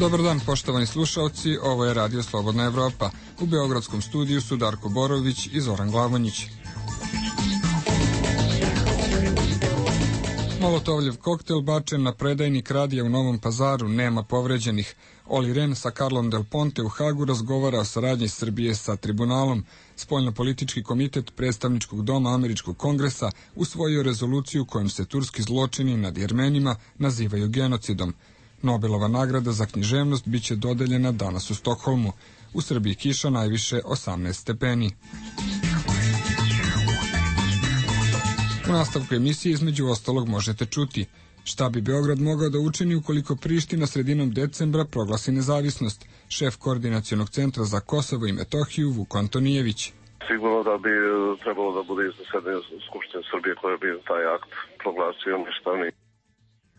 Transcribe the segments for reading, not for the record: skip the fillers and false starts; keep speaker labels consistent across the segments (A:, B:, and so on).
A: Dobar dan, poštovani slušalci, ovo je Radio Slobodna Evropa. U beogradskom studiju su Darko Borović i Zoran Glavonjić. Molotovljev koktel bačen na predajnik radija u Novom Pazaru, nema povređenih. Oli Ren sa Carlom Del Ponte u Hagu razgovara o saradnji Srbije sa tribunalom. Spoljnopolitički komitet predstavničkog doma Američkog kongresa usvojio rezoluciju kojom se turski zločini nad Jermenima nazivaju genocidom. Nobelova nagrada za književnost biće dodeljena danas u Stokholmu. U Srbiji kiša najviše 18 stepeni. U nastavku emisije između ostalog možete čuti šta bi Beograd mogao da učini ukoliko Priština sredinom decembra proglasi nezavisnost. Šef Koordinacionog centra za Kosovo i Metohiju Vuk Antonijević.
B: Sigurno da bi trebalo da bude iznesedanje Skupštine Srbije koja bi taj akt proglasio ništavni.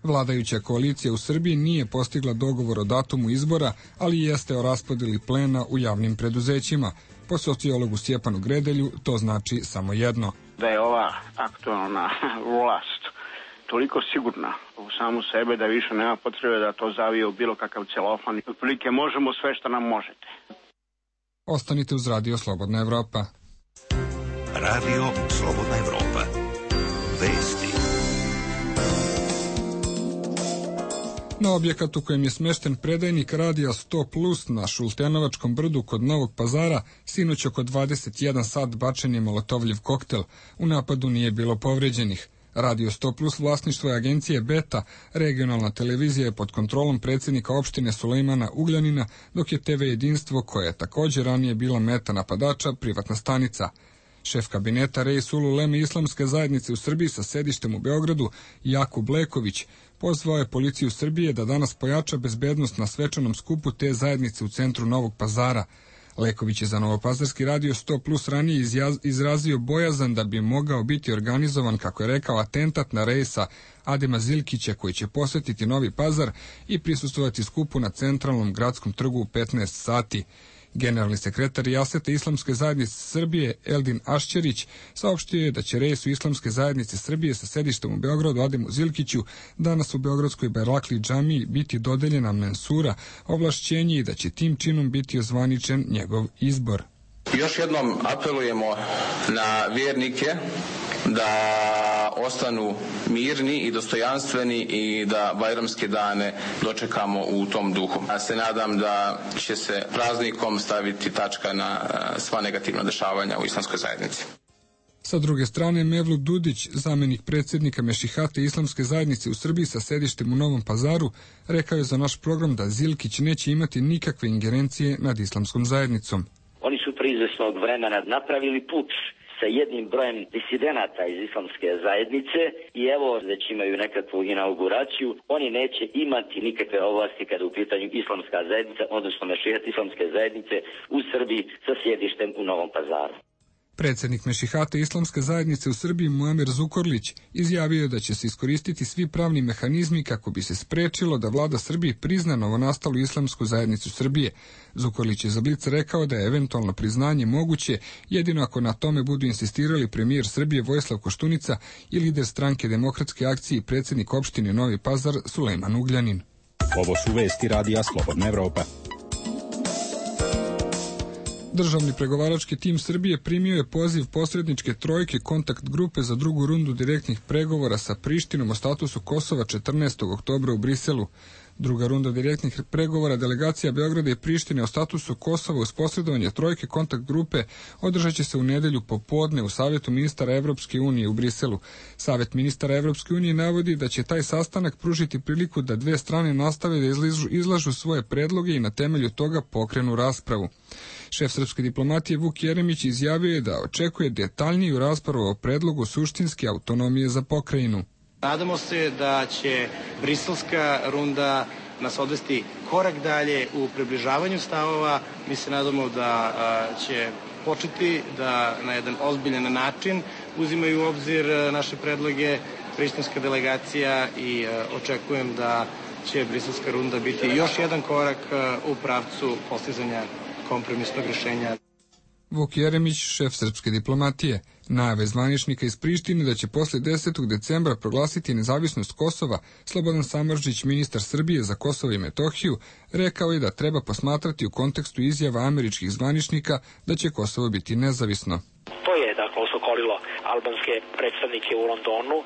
A: Vladajuća koalicija u Srbiji nije postigla dogovor o datumu izbora, ali jeste o raspodeli plena u javnim preduzećima. Po sociologu Stjepanu Gredelju to znači samo jedno.
C: Da je ova aktualna vlast toliko sigurna u samu sebe da više nema potrebe da to zavije u bilo kakav celofan. Otprilike možemo sve što nam možete.
A: Ostanite uz Radio Slobodna Evropa.
D: Radio Slobodna Evropa. Vesti.
A: Na objekat u kojem je smešten predajnik radija 100+ na Šultenovačkom brdu kod Novog Pazara sinoć oko 21 sat bačen je molotovljev koktel. U napadu nije bilo povređenih. Radio 100+ vlasništvo je agencije Beta, regionalna televizija je pod kontrolom predsjednika opštine Sulejmana Ugljanina, dok je TV Jedinstvo, koje je također ranije bila meta napadača, privatna stanica. Šef kabineta Reis Ululeme Islamske zajednice u Srbiji sa sedištem u Beogradu, Jakub Leković, pozvao je policiju Srbije da danas pojača bezbednost na svečanom skupu te zajednice u centru Novog Pazara. Leković je za Novopazarski radio 100+ ranije izrazio bojazan da bi mogao biti organizovan, kako je rekao, atentat na Reisa Adema Zilkića, koji će posjetiti Novi Pazar i prisustvovati skupu na centralnom gradskom trgu u 15 sati. Generalni sekretar Jasete Islamske zajednice Srbije Eldin Ašćerić saopštio je da će Reisu Islamske zajednice Srbije sa sedištem u Beogradu Ademu Zilkiću danas u Beogradskoj Bajrakli džamiji biti dodeljena mensura, ovlašćenje i da će tim činom biti ozvaničen njegov izbor.
E: Još jednom apelujemo na vjernike da ostanu mirni i dostojanstveni i da bajramske dane dočekamo u tom duhu. Ja se nadam da će se praznikom staviti tačka na sva negativna dešavanja u islamskoj zajednici.
A: Sa druge strane, Mevlut Dudić, zamjenik predsjednika Mešihate Islamske zajednice u Srbiji sa sedištem u Novom Pazaru, rekao je za naš program da Zilkić neće imati nikakve ingerencije nad islamskom zajednicom.
F: Oni su prije izvesnog vremena napravili puč sa jednim brojem disidenata iz islamske zajednice i evo već imaju nekakvu inauguraciju. Oni neće imati nikakve ovlasti kada u pitanju islamska zajednica, odnosno Mešihate Islamske zajednice u Srbiji sa sjedištem u Novom Pazaru.
A: Predsjednik Mešihate Islamske zajednice u Srbiji Muamer Zukorlić izjavio je da će se iskoristiti svi pravni mehanizmi kako bi se sprečilo da vlada Srbije prizna novonastalu islamsku zajednicu Srbije. Zukorlić je za Blic rekao da je eventualno priznanje moguće jedino ako na tome budu insistirali premijer Srbije Vojislav Koštunica i lider stranke Demokratske akcije i predsjednik opštine Novi Pazar Sulejman Ugljanin.
G: Ovo su vesti Radija Slobodna Evropa.
A: Državni pregovarački tim Srbije primio je poziv posredničke trojke kontakt grupe za drugu rundu direktnih pregovora sa Prištinom o statusu Kosova 14. oktobra u Briselu. Druga runda direktnih pregovora delegacija Beograda i Prištine o statusu Kosova uz posredovanje trojke kontakt grupe održat će se u nedelju popodne u Savjetu ministara Evropske unije u Briselu. Savjet ministara Evropske unije navodi da će taj sastanak pružiti priliku da dve strane nastave da izlažu svoje predloge i na temelju toga pokrenu raspravu. Šef srpske diplomatije Vuk Jeremić izjavio je da očekuje detaljniju raspravu o predlogu suštinske autonomije za pokrajinu.
H: Nadamo se da će briselska runda nas odvesti korak dalje u približavanju stavova. Mi se nadamo da će početi da na jedan ozbiljan način uzimaju u obzir naše predloge prištinska delegacija i očekujem da će briselska runda biti još jedan korak u pravcu postizanja kompromisnog rješenja.
A: Vuk Jeremić, šef srpske diplomatije, najave zvaničnika iz Prištine da će posle 10. decembra proglasiti nezavisnost Kosova, Slobodan Samardžić, ministar Srbije za Kosovo i Metohiju, rekao je da treba posmatrati u kontekstu izjava američkih zvaničnika da će Kosovo biti nezavisno.
I: To je osokolilo albanske predstavnike u Londonu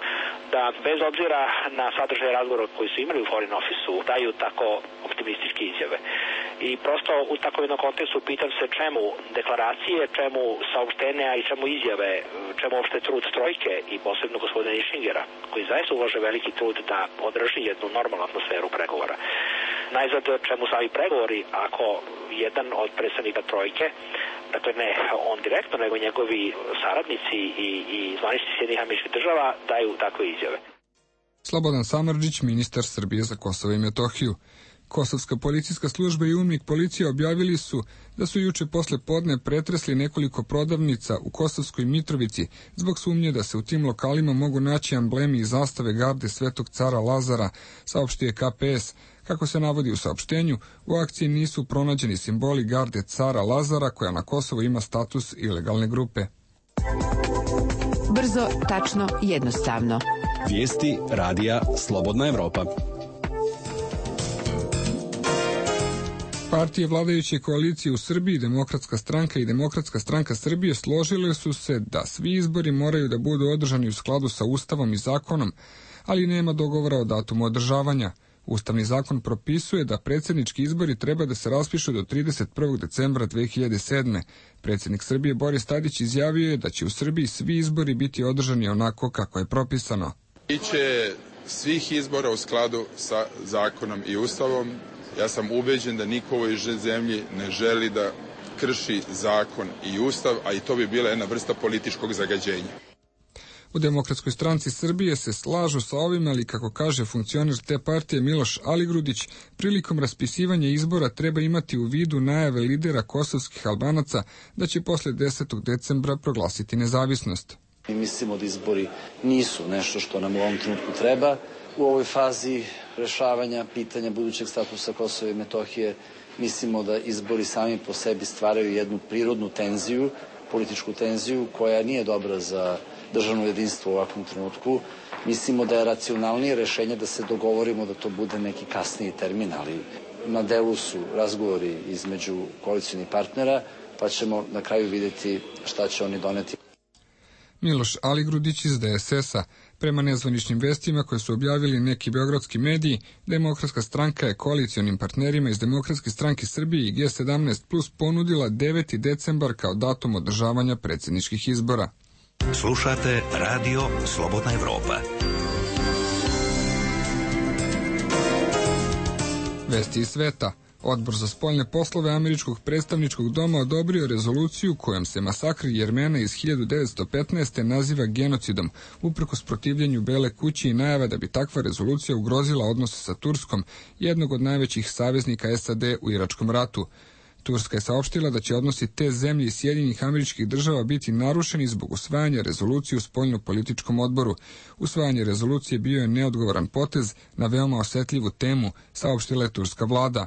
I: da bez obzira na sadržaj razgovora koji su imali u Foreign Office-u daju tako optimističke izjave. I prosto u takvom jednom kontekstu pitam se čemu deklaracije, čemu saopštenja i čemu izjave, čemu uopšte trud trojke i posebno gospodina Išingera, koji zaista ulaže veliki trud da održi jednu normalnu atmosferu pregovora. Najzad, čemu sami pregovori ako jedan od predstavnika trojke, dakle ne on direktno, nego njegovi saradnici i zvaničnici Sjedinjenih Američkih Država daju takve izjave.
A: Slobodan Samardžić, ministar Srbije za Kosovo i Metohiju. Kosovska policijska služba i UNMIK policija objavili su da su juče posle podne pretresli nekoliko prodavnica u Kosovskoj Mitrovici zbog sumnje da se u tim lokalima mogu naći amblemi i zastave garde Svetog cara Lazara, saopštio je KPS. Kako se navodi u saopštenju, u akciji nisu pronađeni simboli garde cara Lazara koja na Kosovu ima status ilegalne grupe.
J: Brzo, tačno, jednostavno.
G: Vijesti radija Slobodna Evropa.
A: Partije vladajuće koalicije u Srbiji, Demokratska stranka i Demokratska stranka Srbije složile su se da svi izbori moraju da budu održani u skladu sa Ustavom i zakonom, ali nema dogovora o datumu održavanja. Ustavni zakon propisuje da predsjednički izbori treba da se raspišu do 31. decembra 2007. Predsjednik Srbije Boris Tadić izjavio je da će u Srbiji svi izbori biti održani onako kako je propisano.
K: Biće svih izbora u skladu sa zakonom i Ustavom. Ja sam ubeđen da niko u ovoj zemlji ne želi da krši zakon i Ustav, a i to bi bila jedna vrsta političkog zagađenja.
A: U Demokratskoj stranci Srbije se slažu sa ovim, ali kako kaže funkcioner te partije Miloš Aligrudić, prilikom raspisivanja izbora treba imati u vidu najave lidera kosovskih Albanaca da će posle 10. decembra proglasiti nezavisnost.
L: Mi mislimo da izbori nisu nešto što nam u ovom trenutku treba. U ovoj fazi rešavanja pitanja budućeg statusa Kosova i Metohije mislimo da izbori sami po sebi stvaraju jednu prirodnu tenziju, političku tenziju koja nije dobra za državno jedinstvo u ovakvom trenutku. Mislimo da je racionalnije rešenje da se dogovorimo da to bude neki kasniji termin, ali na delu su razgovori između koalicionih partnera, pa ćemo na kraju vidjeti šta će oni doneti.
A: Miloš Aligrudić iz DSS-a. Prema nezvaničnim vestima koje su objavili neki beogradski mediji, Demokratska stranka je koalicionim partnerima iz Demokratske stranke Srbije i G17 Plus ponudila 9. decembar kao datum održavanja predsjedničkih izbora.
D: Slušate Radio Slobodna Evropa.
A: Vesti iz sveta. Odbor za spoljne poslove Američkog predstavničkog doma odobrio rezoluciju kojom se masakr Jermena iz 1915. naziva genocidom, uprkos protivljenju Bele kuće i najava da bi takva rezolucija ugrozila odnose sa Turskom, jednog od najvećih saveznika SAD u Iračkom ratu. Turska je saopštila da će odnosi te zemlje i Sjedinjenih Američkih Država biti narušeni zbog usvajanja rezolucije u spoljno-političkom odboru. Usvajanje rezolucije bio je neodgovoran potez na veoma osetljivu temu, saopštila je turska vlada.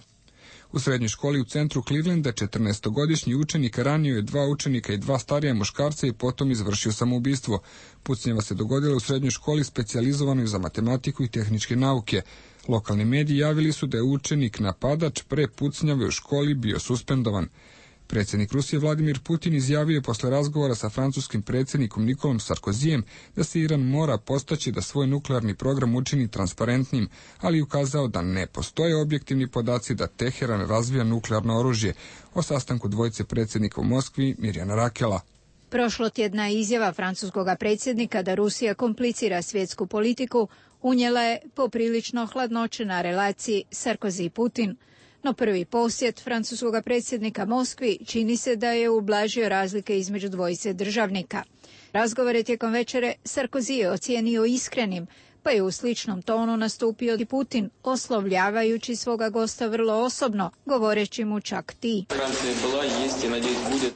A: U srednjoj školi u centru Clevelanda 14-godišnji učenik ranio je 2 učenika i 2 starija muškarca i potom izvršio samoubistvo. Pucnjava se dogodila u srednjoj školi specijalizovanoj za matematiku i tehničke nauke. Lokalni mediji javili su da je učenik napadač pre pucnjave u školi bio suspendovan. Predsjednik Rusije Vladimir Putin izjavio je posle razgovora sa francuskim predsjednikom Nikolom Sarkozijem da se Iran mora postaći da svoj nuklearni program učini transparentnim, ali ukazao da ne postoje objektivni podaci da Teheran razvija nuklearno oružje. O sastanku dvojice predsjednika u Moskvi Mirjana Rakela.
M: Prošlotjedna izjava francuskog predsjednika da Rusija komplicira svjetsku politiku unijela je poprilično hladnoće na relaciji Sarkozy-Putin. No prvi posjet francuskog predsjednika Moskvi čini se da je ublažio razlike između dvojice državnika. Razgovore tijekom večere Sarkozy je ocijenio iskrenim, pa je u sličnom tonu nastupio i Putin, oslovljavajući svoga gosta vrlo osobno, govoreći mu čak ti.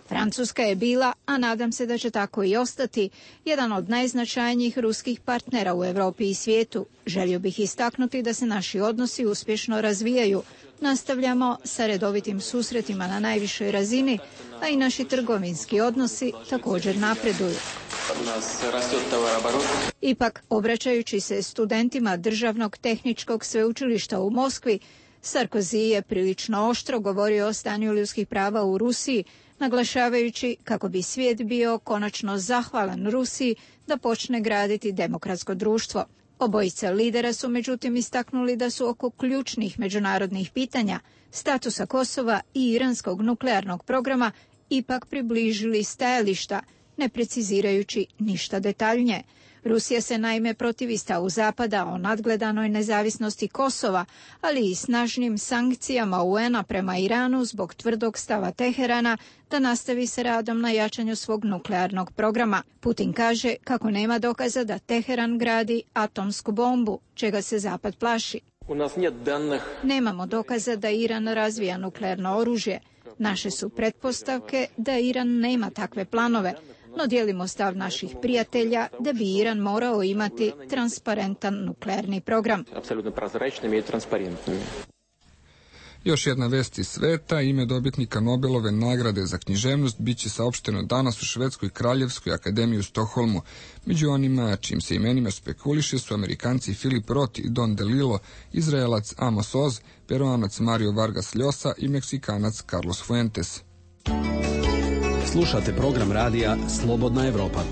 M: Francuska je bila, a nadam se da će tako i ostati, jedan od najznačajnijih ruskih partnera u Europi i svijetu. Želio bih istaknuti da se naši odnosi uspješno razvijaju. Nastavljamo sa redovitim susretima na najvišoj razini, a i naši trgovinski odnosi također napreduju. Ipak, obraćajući se studentima Državnog tehničkog sveučilišta u Moskvi, Sarkozy je prilično oštro govorio o stanju ljudskih prava u Rusiji, naglašavajući kako bi svijet bio konačno zahvalan Rusiji da počne graditi demokratsko društvo. Obojica lidera su međutim istaknuli da su oko ključnih međunarodnih pitanja, statusa Kosova i iranskog nuklearnog programa ipak približili stajališta, ne precizirajući ništa detaljnije. Rusija se naime protivi stavu Zapada o nadgledanoj nezavisnosti Kosova, ali i snažnim sankcijama UN-a prema Iranu zbog tvrdog stava Teherana da nastavi sa radom na jačanju svog nuklearnog programa. Putin kaže kako nema dokaza da Teheran gradi atomsku bombu, čega se Zapad plaši. Nemamo dokaza da Iran razvija nuklearno oružje. Naše su pretpostavke da Iran nema takve planove, no dijelimo stav naših prijatelja da bi Iran morao imati transparentan nuklearni program.
A: Još jedna vest iz sveta, ime dobitnika Nobelove nagrade za književnost biće saopšteno danas u Švedskoj kraljevskoj akademiji u Stokholmu. Među onima čim se imenima spekuliše su Amerikanci Philip Roth i Don DeLillo, Izraelac Amos Oz, Peruanac Mario Vargas Llosa i Meksikanac Carlos Fuentes.
G: Slušate program radija Slobodna Evropa.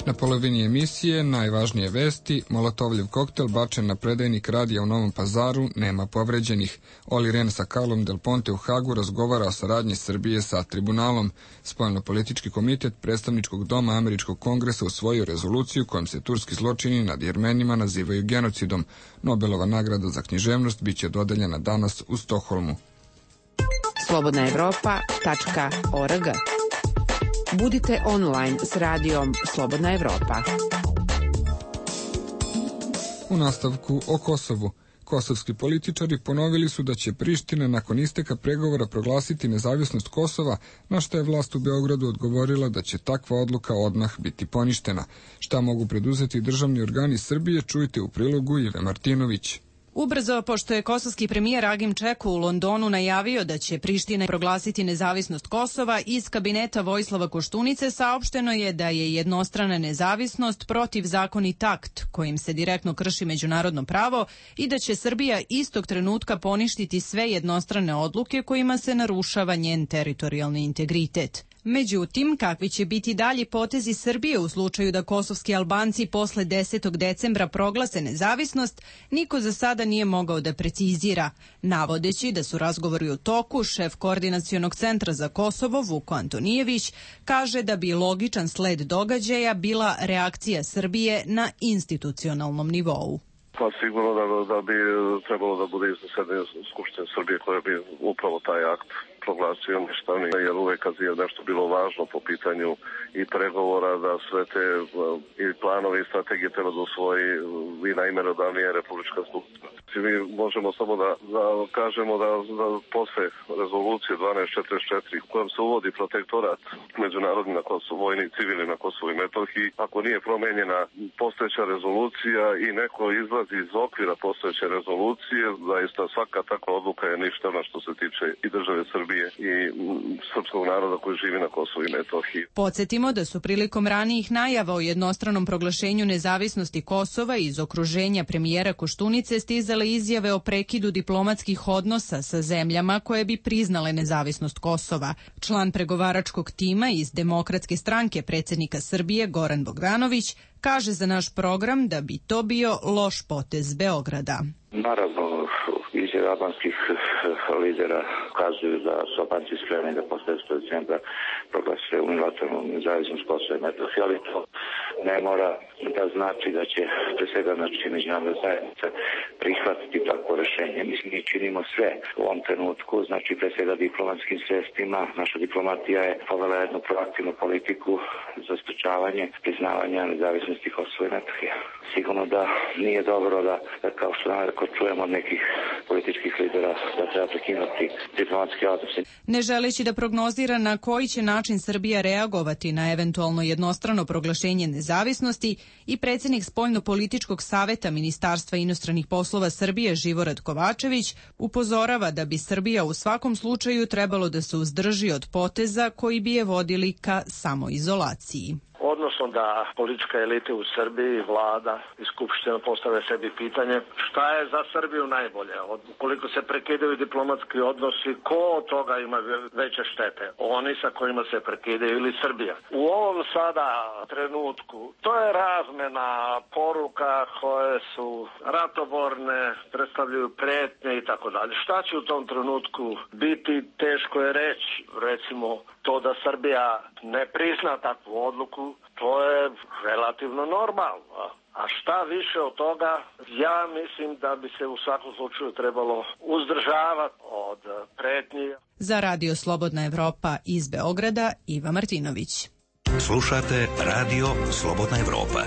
A: Na polovini emisije najvažnije vesti, molotovljev koktel bačen na predajnik radija u Novom Pazaru, nema povređenih. Oli Rehn sa Carlom Del Ponte u Hagu razgovara o saradnji Srbije sa tribunalom. Spoljnopolitički komitet predstavničkog doma Američkog kongresa usvojio rezoluciju kojom se turski zločini nad Jermenima nazivaju genocidom. Nobelova nagrada za književnost biće dodeljena danas u Stokholmu.
J: slobodnaevropa.org. Budite online s radijom Slobodna Evropa.
A: U nastavku o Kosovu. Kosovski političari ponovili su da će Priština nakon isteka pregovora proglasiti nezavisnost Kosova, na što je vlast u Beogradu odgovorila da će takva odluka odmah biti poništena. Šta mogu preduzeti državni organi Srbije, čujte u prilogu Ive Martinović.
N: Ubrzo, pošto je kosovski premijer Agim Čeku u Londonu najavio da će Priština proglasiti nezavisnost Kosova, iz kabineta Vojislava Koštunice saopšteno je da je jednostrana nezavisnost protivzakonit akt kojim se direktno krši međunarodno pravo i da će Srbija istog trenutka poništiti sve jednostrane odluke kojima se narušava njen teritorijalni integritet. Međutim, kakvi će biti dalji potezi Srbije u slučaju da kosovski Albanci posle 10. decembra proglase nezavisnost, niko za sada nije mogao da precizira. Navodeći da su razgovori u toku, šef Koordinacionog centra za Kosovo, Vuko Antonijević, kaže da bi logičan sled događaja bila reakcija Srbije na institucionalnom nivou.
B: Pa sigurno da bi trebalo da bude zasedanje Skupštine Srbije koja bi upravo taj akt proglasio ništavnim, jer uvek kad je nešto bilo važno po pitanju i pregovora, da sve te i planove i strategije treba da usvoji i najmerodavnija Republička skupština. Mi možemo samo da kažemo da posle rezolucije 1244 kojom se uvodi protektorat međunarodni na Kosovo, vojni i civilni na Kosovu i Metohiji, ako nije promenjena postojeća rezolucija i neko izlazi iz okvira postojeće rezolucije, zaista svaka takva odluka je ništavna što se tiče i države Srbije i srpskog naroda koji živi na Kosovu i Metohiji.
N: Podsjetimo da su prilikom ranijih najava o jednostranom proglašenju nezavisnosti Kosova iz okruženja premijera Koštunice stizale izjave o prekidu diplomatskih odnosa sa zemljama koje bi priznale nezavisnost Kosova. Član pregovaračkog tima iz Demokratske stranke predsjednika Srbije Goran Bogdanović kaže za naš program da bi to bio loš potez Beograda.
O: Naravno, izjave albanskih lidera kazuju da su Albanci spremni da posle 10. decembra proglase unilateralnu nezavisnost Kosova i Metohije, ali to ne mora da znači da će pre svega međunarodna zajednica prihvatiti takvo rešenje. Mislim, mi činimo sve u ovom trenutku, znači pre svega diplomatskim sredstvima. Naša diplomatija je povela jednu proaktivnu politiku za sprečavanje priznavanja nezavisnosti Kosova i Metohije. Sigurno da nije dobro da kao što čujemo od nekih političkih lidera, da treba prekinuti diplomatski odnosi.
N: Ne želeći da prognozira na koji će način Srbija reagovati na eventualno jednostrano proglašenje nezavisnosti, i predsjednik Spoljno-političkog saveta Ministarstva inostranih poslova Srbije Živorad Kovačević upozorava da bi Srbija u svakom slučaju trebalo da se uzdrži od poteza koji bi je vodili ka samoizolaciji.
P: Odnosno da politička elite u Srbiji, vlada i skupština postave sebi pitanje šta je za Srbiju najbolje. Ukoliko se prekidaju diplomatski odnosi, ko od toga ima veće štete? Oni sa kojima se prekidaju ili Srbija? U ovom sada trenutku to je razmena poruka koje su ratoborne, predstavljaju pretnje i tako dalje. Šta će u tom trenutku biti, teško je reći. Recimo to da Srbija ne prizna takvu odluku, to je relativno normalno. A šta više od toga, ja mislim da bi se u svakom slučaju trebalo uzdržavati od pretnji.
N: Za Radio Slobodna Evropa iz Beograda, Iva Martinović.
D: Slušate Radio Slobodna Evropa.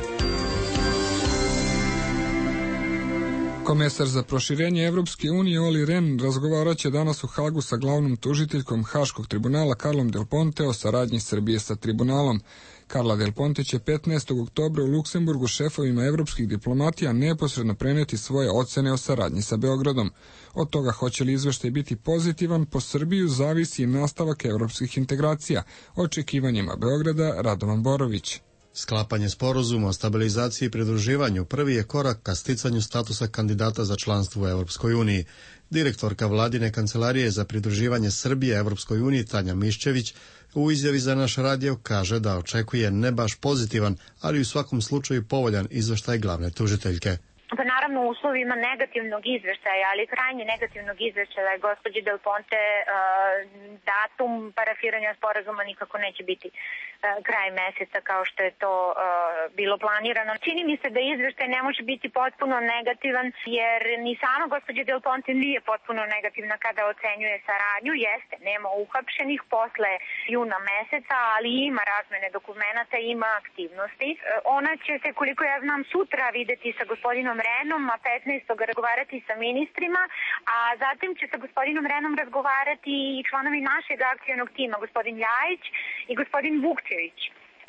A: Komesar za proširenje Evropske unije Olli Rehn razgovarat će danas u Hagu sa glavnom tužiteljkom Haškog tribunala Carlom Del Ponte o saradnji Srbije sa tribunalom. Carla Del Ponte će 15. oktobra u Luksemburgu šefovima evropskih diplomatija neposredno preneti svoje ocene o saradnji sa Beogradom. Od toga hoće li izveštaj biti pozitivan po Srbiju zavisi i nastavak evropskih integracija. Očekivanjima Beograda Radovan Borović.
Q: Sklapanje sporazuma o stabilizaciji i pridruživanju prvi je korak ka sticanju statusa kandidata za članstvo u Evropskoj uniji. Direktorka vladine kancelarije za pridruživanje Srbije Evropskoj uniji Tanja Miščević u izjavi za naš radio kaže da očekuje ne baš pozitivan, ali u svakom slučaju povoljan izveštaj glavne tužiteljke.
R: Pa naravno u uslovima negativnog izveštaja, ali krajnje negativnog izveštaja gospođe Del Ponte datum parafiranja sporazuma nikako neće biti kraj meseca kao što je to bilo planirano. Čini mi se da izveštaj ne može biti potpuno negativan jer ni sama gospođa Del Ponte nije potpuno negativna kada ocenjuje saradnju. Jeste, nema uhapšenih posle juna meseca, ali ima razmene dokumenata, ima aktivnosti. Ona će se, koliko ja znam, sutra videti sa gospodinom Rehnom, a 15. razgovarati sa ministrima, a zatim će sa gospodinom Rehnom razgovarati i članovi našeg akcionog tima, gospodin Ljajić i gospodin Vukčević.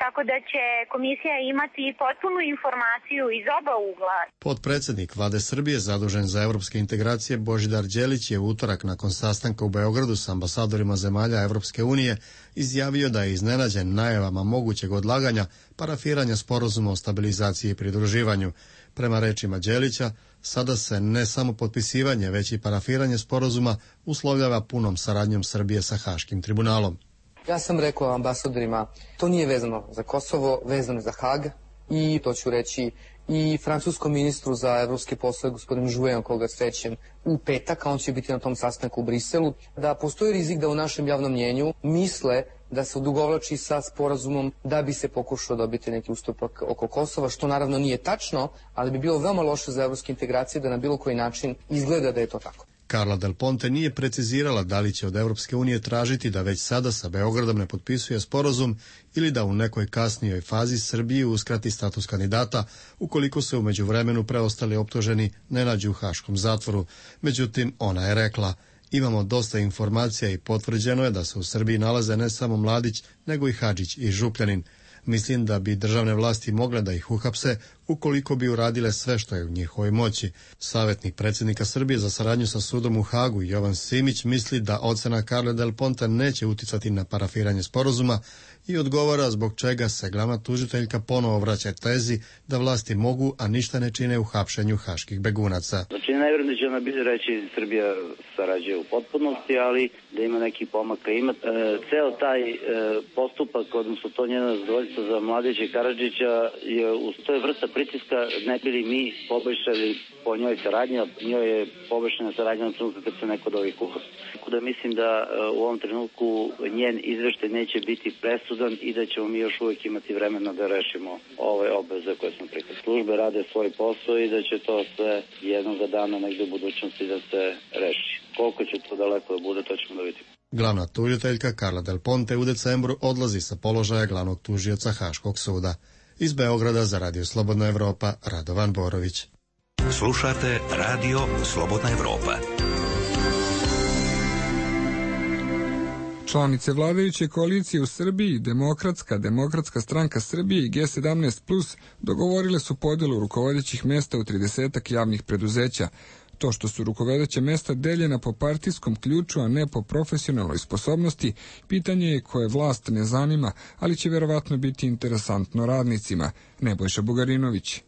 R: Tako da će komisija imati potpunu informaciju iz oba ugla.
Q: Potpredsednik Vlade Srbije zadužen za evropske integracije Božidar Đelić je u utorak nakon sastanka u Beogradu sa ambasadorima zemalja Evropske unije izjavio da je iznenađen najavama mogućeg odlaganja parafiranja sporazuma o stabilizaciji i pridruživanju. Prema rečima Đelića, sada se ne samo potpisivanje, već i parafiranje sporazuma uslovljava punom saradnjom Srbije sa Haškim tribunalom.
S: Ja sam rekao ambasadorima, to nije vezano za Kosovo, vezano je za Hag i to ću reći i francuskom ministru za evropske poslove, gospodinu Jouin, koga srećem u petak, a on će biti na tom sastanku u Briselu, da postoji rizik da u našem javnom mnjenju misle da se odugovlači sa sporazumom da bi se pokušao dobiti neki ustupak oko Kosova, što naravno nije tačno, ali bi bilo veoma loše za evropske integracije da na bilo koji način izgleda da je to tako.
Q: Carla Del Ponte nije precizirala da li će od Evropske unije tražiti da već sada sa Beogradom ne potpisuje sporazum ili da u nekoj kasnijoj fazi Srbiji uskrati status kandidata ukoliko se u međuvremenu preostali optuženi ne nađu u Haškom zatvoru. Međutim, ona je rekla: imamo dosta informacija i potvrđeno je da se u Srbiji nalaze ne samo Mladić, nego i Hadžić i Župljanin. Mislim da bi državne vlasti mogle da ih uhapse ukoliko bi uradile sve što je u njihovoj moći. Savjetnik predsjednika Srbije za saradnju sa sudom u Hagu Jovan Simić misli da ocena Carle Del Ponte neće uticati na parafiranje sporazuma i odgovara zbog čega se glavna tužiteljka ponovo vraća tezi da vlasti mogu, a ništa ne čine u hapšenju haških begunaca.
T: Znači, ne vjerujem da će ona biti reći Srbija sarađuje u potpunosti, ali da ima neki pomaka. Ima ceo taj postupak, odnosno to njeno zadovoljstvo za Mladića i Karadžića, to je vrsta pritiska, ne bili mi poboljšali po njoj saradnja, njoj je poboljšana saradnja na trenutku kad se neko od ovih uhapsi. Tako da mislim da u ovom trenutku njen izveštaj neće biti presudan i da ćemo mi još uvijek imati vremena da rešimo ove obveze koje smo prihvatili. Službe rade svoj posao i da će to sve jednog dana negde u budućnosti da se reši. Koliko će to daleko da bude, to ćemo da vidimo.
Q: Glavna tužiteljka Carla Del Ponte u decembru odlazi sa položaja glavnog tužioca Haškog suda. Iz Beograda za Radio Slobodna Evropa, Radovan Borović.
D: Slušate Radio Slobodna Evropa.
A: Članice vladajuće koalicije u Srbiji, Demokratska stranka Srbije i G17+, dogovorile su podelu rukovodećih mesta u 30 javnih preduzeća. To što su rukovodeća mesta deljena po partijskom ključu, a ne po profesionalnoj sposobnosti, pitanje je koje vlast ne zanima, ali će verovatno biti interesantno radnicima. Nebojša Bugarinović.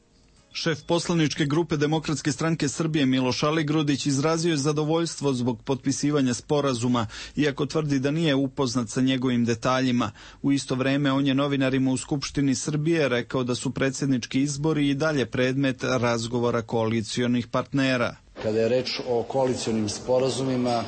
U: Šef poslaničke grupe Demokratske stranke Srbije Miloš Aligrudić izrazio je zadovoljstvo zbog potpisivanja sporazuma, iako tvrdi da nije upoznat sa njegovim detaljima. U isto vreme on je novinarima u Skupštini Srbije rekao da su predsjednički izbori i dalje predmet razgovora koalicionih partnera.
L: Kada je reč o koalicionim sporazumima,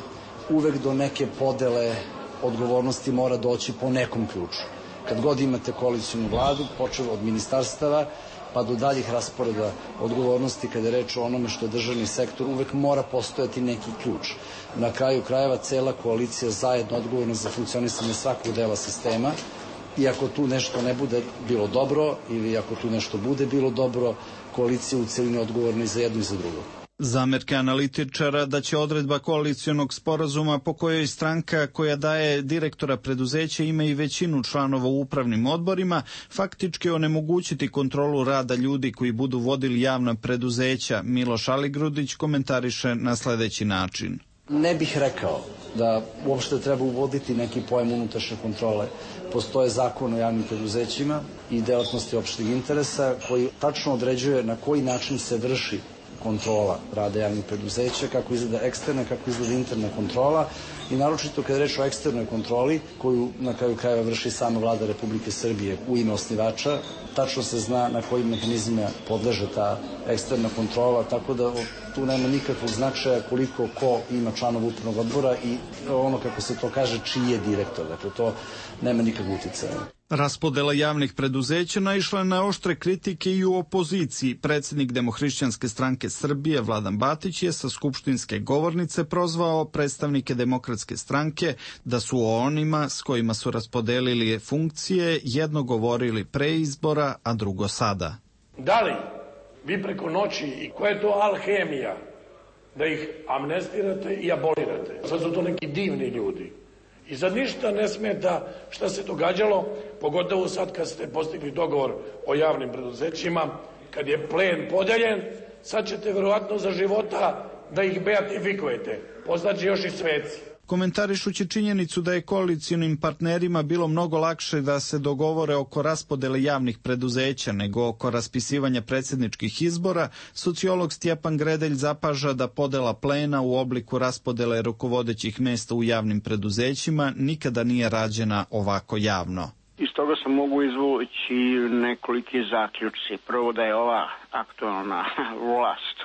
L: uvek do neke podele odgovornosti mora doći po nekom ključu. Kad god imate koalicionu vladu, počeo od ministarstava, pa do daljih rasporeda odgovornosti kada je reč o onome što je državni sektor, uvek mora postojati neki ključ. Na kraju krajeva cela koalicija zajedno odgovorna za funkcionisanje svakog dela sistema i ako tu nešto ne bude bilo dobro ili ako tu nešto bude bilo dobro, koalicija u celini odgovorna i za jedno i za drugo.
U: Zamerke analitičara da će odredba koalicionog sporazuma po kojoj stranka koja daje direktora preduzeća ima i većinu članova u upravnim odborima faktički onemogućiti kontrolu rada ljudi koji budu vodili javna preduzeća, Miloš Aligrudić komentariše na sledeći način.
L: Ne bih rekao da uopšte treba uvoditi neki pojam unutrašnje kontrole. Postoje zakon o javnim preduzećima i delatnosti opšteg interesa koji tačno određuje na koji način se vrši kontrola rada javnih preduzeća, kako izgleda eksterna, kako izgleda interna kontrola i naročito kada je reč o eksternoj kontroli koju na kraju krajeva vrši sama vlada Republike Srbije u ime osnivača, tačno se zna na kojim mehanizmima podleže ta eksterna kontrola, tako da tu nema nikakvog značaja koliko ko ima članova upravnog odbora i ono kako se to kaže čiji je direktor, dakle to nema nikakvog uticaja.
U: Raspodela javnih preduzeća naišla na oštre kritike i u opoziciji. Predsjednik Demohrišćanske stranke Srbije Vladan Batić je sa skupštinske govornice prozvao predstavnike Demokratske stranke da su o onima s kojima su raspodelili funkcije jedno govorili pre izbora, a drugo sada.
V: Da li vi preko noći i koja je to alhemija da ih amnestirate i abolirate? Sad su to neki divni ljudi. I sad ništa ne smeta šta se događalo, pogotovo sad kad ste postigli dogovor o javnim preduzećima, kad je plen podeljen, sad ćete verovatno za života da ih beatifikujete, postaće još i sveci.
U: Komentarišući činjenicu da je koalicionim partnerima bilo mnogo lakše da se dogovore oko raspodele javnih preduzeća nego oko raspisivanja predsjedničkih izbora, sociolog Stjepan Gredelj zapaža da podela plena u obliku raspodele rukovodećih mesta u javnim preduzećima nikada nije rađena ovako javno.
C: Iz toga se mogu izvući nekoliki zaključci. Prvo da je ova aktualna vlast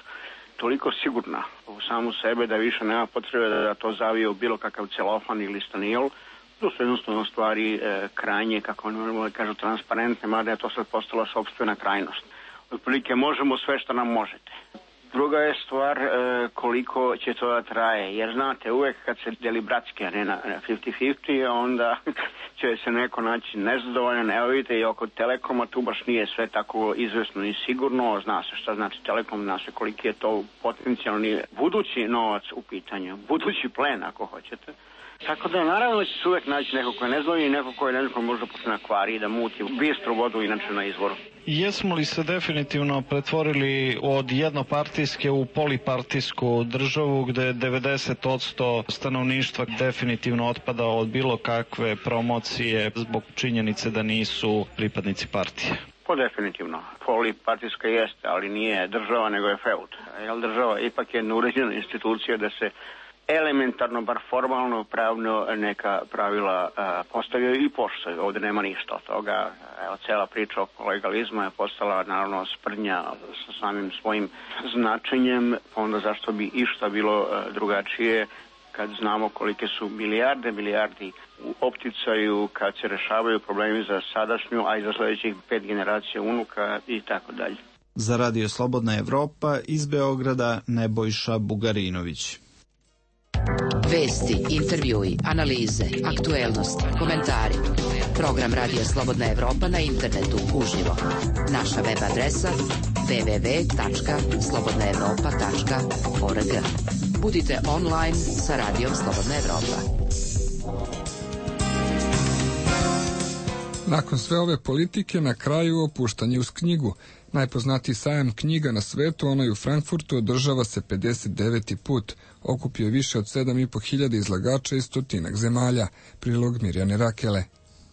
C: toliko sigurna u samu sebe da više nema potrebe da to zavije u bilo kakav celofan ili stanijol. To su jednostavno stvari krajnje, kako oni kažu, transparentne, mada je to sad postala sopstvena krajnost. Otprilike možemo sve što nam možete. Druga je stvar koliko će to da traje, jer znate, uvek kad se deli bratski, a ne na 50-50, onda će se neko naći nezadovoljan. Evo vidite i oko Telekoma, tu baš nije sve tako izvesno i sigurno, zna se šta znači Telekom, zna se koliki je to potencijalni budući novac u pitanju, budući plen ako hoćete. Tako da naravno će se uvek naći neko ko je nezadovoljan i neko ko je neko možda počne na kvari da muti bistru vodu inače na izvoru.
U: Jesmo li se definitivno pretvorili od jednopartijske u polipartijsku državu gde 90% stanovništva definitivno otpada od bilo kakve promocije zbog činjenice da nisu pripadnici partije?
C: Po definitivno. Polipartijska jeste, ali nije država nego je feud. Jer država ipak je jedna uređena institucija da se elementarno, bar formalno, pravno neka pravila postavljaju i poštuju. Ovdje nema ništa od toga. Evo, cela priča oko legalizma je postala naravno sprdnja sa samim svojim značenjem, onda zašto bi išta bilo drugačije kad znamo kolike su milijardi u opticaju, kad se rešavaju problemi za sadašnju, a i za sledećih 5 generacija unuka i tako dalje.
U: Za Radio Slobodna Evropa iz Beograda Nebojša Bugarinović.
J: Vesti, intervjui, analize, aktuelnosti, komentari. Program Radija Slobodna Evropa na internetu uživo. Naša web adresa www.slobodnaevropa.org. Budite online sa Radijom Slobodna Evropa.
A: Nakon sve ove politike, na kraju opuštanje uz knjigu. Najpoznatiji sajam knjiga na svetu, onaj u Frankfurtu, održava se 59. put. Okupio je više od 7.500 izlagača iz 100 zemalja. Prilog Mirjane Rakele.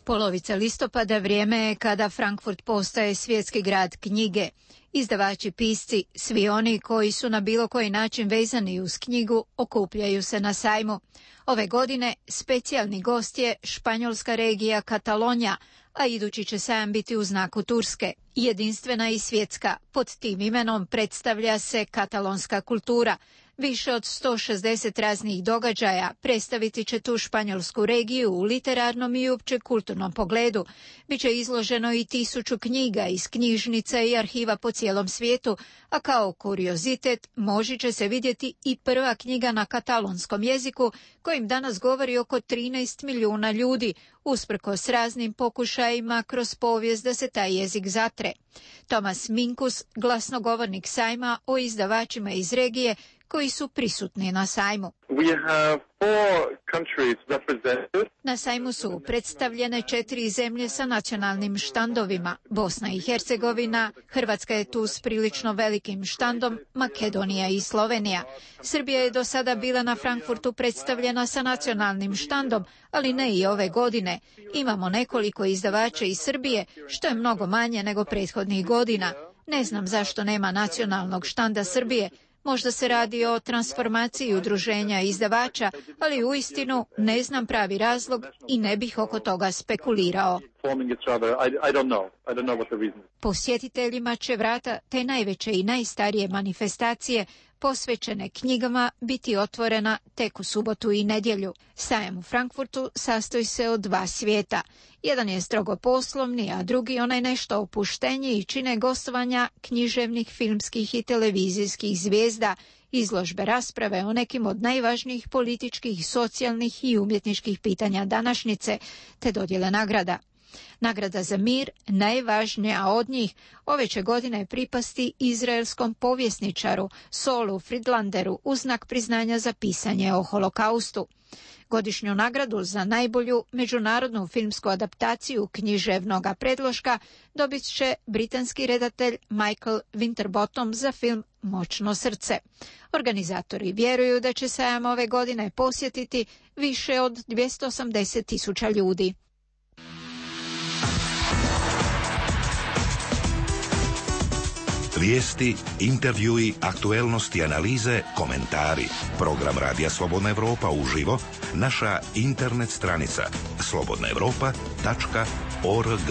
M: Polovica listopada vrijeme je kada Frankfurt postaje svjetski grad knjige. Izdavači, pisci, svi oni koji su na bilo koji način vezani uz knjigu, okupljaju se na sajmu. Ove godine specijalni gost je španjolska regija Katalonija, a idući će sajam biti u znaku Turske. Jedinstvena i svjetska, pod tim imenom predstavlja se katalonska kultura. Više od 160 raznih događaja predstaviti će tu španjolsku regiju u literarnom i uopće kulturnom pogledu. Biće izloženo i 1000 knjiga iz knjižnica i arhiva po cijelom svijetu, a kao kuriozitet moći će se vidjeti i prva knjiga na katalonskom jeziku kojim danas govori oko 13 milijuna ljudi, usprkos raznim pokušajima kroz povijest da se taj jezik zatre. Tomas Minkus, glasnogovornik sajma o izdavačima iz regije koji su prisutni na sajmu. Na sajmu su predstavljene 4 zemlje sa nacionalnim štandovima. Bosna i Hercegovina, Hrvatska je tu s prilično velikim štandom, Makedonija i Slovenija. Srbija je do sada bila na Frankfurtu predstavljena sa nacionalnim štandom, ali ne i ove godine. Imamo nekoliko izdavača iz Srbije, što je mnogo manje nego prethodnih godina. Ne znam zašto nema nacionalnog štanda Srbije. Možda se radi o transformaciji udruženja izdavača, ali uistinu ne znam pravi razlog i ne bih oko toga spekulirao. Posjetiteljima će vrata te najveće i najstarije manifestacije posvećene knjigama biti otvorena tek u subotu i nedjelju. Sajam u Frankfurtu sastoji se od 2 svijeta. Jedan je strogo poslovni, a drugi onaj nešto opušteniji i čine gostovanja književnih, filmskih i televizijskih zvijezda, izložbe, rasprave o nekim od najvažnijih političkih, socijalnih i umjetničkih pitanja današnjice, te dodjele nagrada. Nagrada za mir, najvažnija od njih, ove će godine pripasti izraelskom povjesničaru Saulu Friedlanderu u znak priznanja za pisanje o holokaustu. Godišnju nagradu za najbolju međunarodnu filmsku adaptaciju književnog predloška dobit će britanski redatelj Michael Winterbottom za film Moćno srce. Organizatori vjeruju da će sajam ove godine posjetiti više od 280.000 ljudi.
D: Vijesti, intervjui, aktuelnosti, analize, komentari. Program Radija Slobodna Evropa uživo, naša internet stranica slobodnaevropa.org.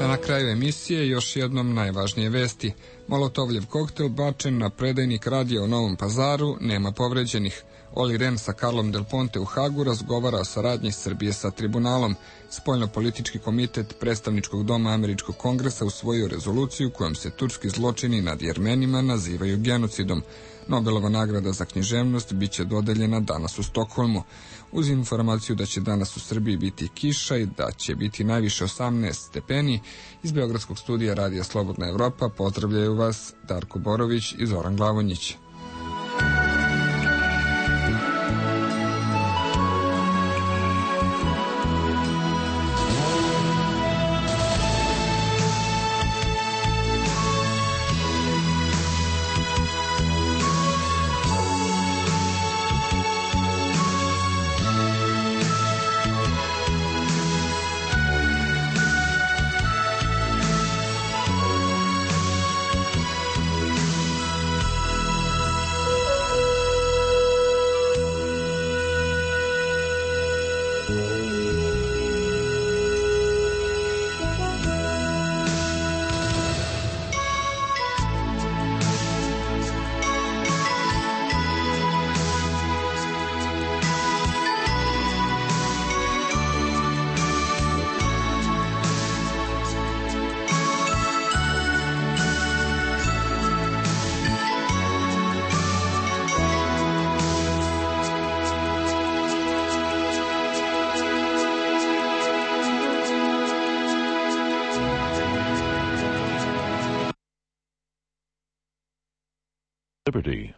A: Na kraju emisije još jednom najvažnije vesti. Molotovljev koktel bačen na predajnik radija u Novom Pazaru, nema povređenih. Oli Ren sa Carlom Del Ponte u Hagu razgovara o saradnji Srbije sa tribunalom. Spoljnopolitički komitet predstavničkog doma Američkog kongresa usvojio rezoluciju kojom se turski zločini nad Jermenima nazivaju genocidom. Nobelova nagrada za književnost bit će dodeljena danas u Stokholmu. Uz informaciju da će danas u Srbiji biti kiša i da će biti najviše 18 stepeni, iz Beogradskog studija Radija Slobodna Evropa pozdravljaju vas Darko Borović i Zoran Glavonjić.
E: Liberty